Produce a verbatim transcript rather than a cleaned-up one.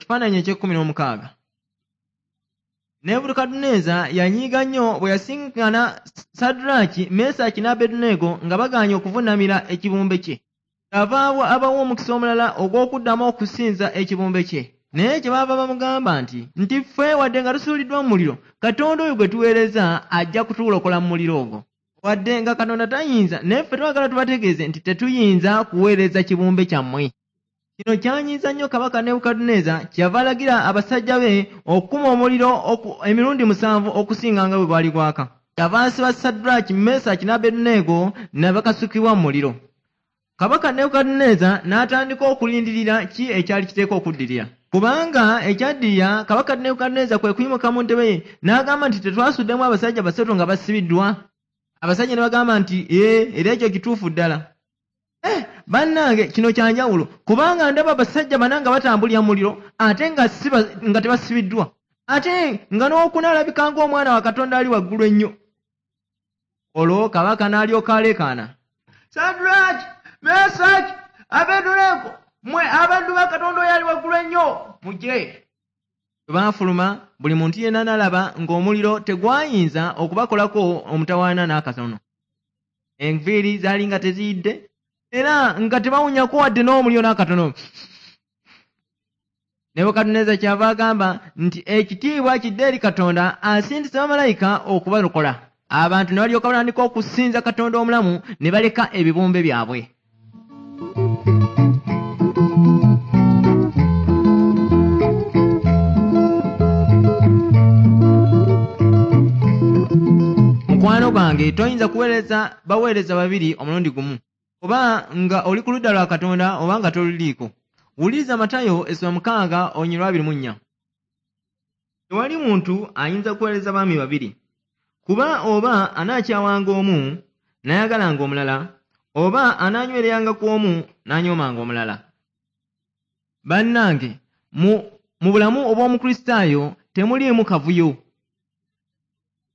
Ekifaananyi eky'ekkumi n'omukaaga. Nebukadduneeza yanyiiga nnyo bwe yasinkana Saddulaaki, Mesaki ne Abeduneego nga bagaanye okuvunnamira ekibumbe kye. Kyava abawa omukisa omulala ogw'okuddamu okusinza ekibumbe kye. Naye kye baava bamugamba nti, nti ffe wadde nga tusuuliddwa mu muliro, Katonda oyo gwe tuweereza ajja kutulokola mu muliro ogwo. Wadde nga Katonda tayinza, naye ffe twagala tubategeeze nti tetuyinza kuweereza kibumbe kyammwe. Kino kyanyiiza nnyo Kabaka Nebukadduneeza, kyeyava alagira abasajja be okukuma omuliro emirundi musanvu okusinga nga bwe gwali gwaka. Kyava asiba Saddulaaki, Mesaki ne Abeduneego ne bakasukibwa mu muliro. Kabaka Nebukadduneeza n'atandika okulindirira ki ekyali kiteekwa okuddirira. Kubanga ekyaddirira, Kabaka Nebukadduneeza kwe kuyimuka mu ntebe ye n'agamba nti tetwasuddemu abasajja basatu nga basibiddwa. Abasajja ne bagamba nti ee, era ekyo kituufu ddala. Eh, bannange kino kya njawulo, kubanga ndaba abasajja bana nga batambulira mu muliro ate nga siba, nga tebasibiddwa, ate nga n'okuna alabika ng'omwana wa Katonda ali waggulu ennyo. Olwo kabaka n'alyoka aleekaana, Saddulaaki, Mesaki, Abeduneego, mmwe abaddu ba Katonda oyo ali waggulu ennyo, mujje. Bwe baafuluma, buli muntu yenna n'alaba ng'omuliro tegwayinza okubakolako omutawaana n'akatono. Enviiri zaali nga teziyidde, era nga tebawunyako wadde n'omuliro n'akatono. Nebukadduneeza kyava agamba nti ekitiibwa kidde eri Katonda asindise bamalayika okubalokola. Abantu ne balyoka batandika okusinza Katonda omulamu ne baleka ebibumbe byabwe. Mukwano gwange, toyinza kuweereza baweereza babiri omulundi gumu, oba nga oli ku ludda lwa Katonda oba nga toluliiko. Wuliriza Matayo essula mukaaga olunyiriri lwa abiri mu nnya. Tewali muntu ayinza kuweereza baami babiri, kuba oba anaakyawanga omu n'ayagalanga omulala, oba anaanywereranga ku omu n'anyoomanga omulala. Bannange, mu, mu bulamu obw'Omukristaayo temuliimu kavuyo.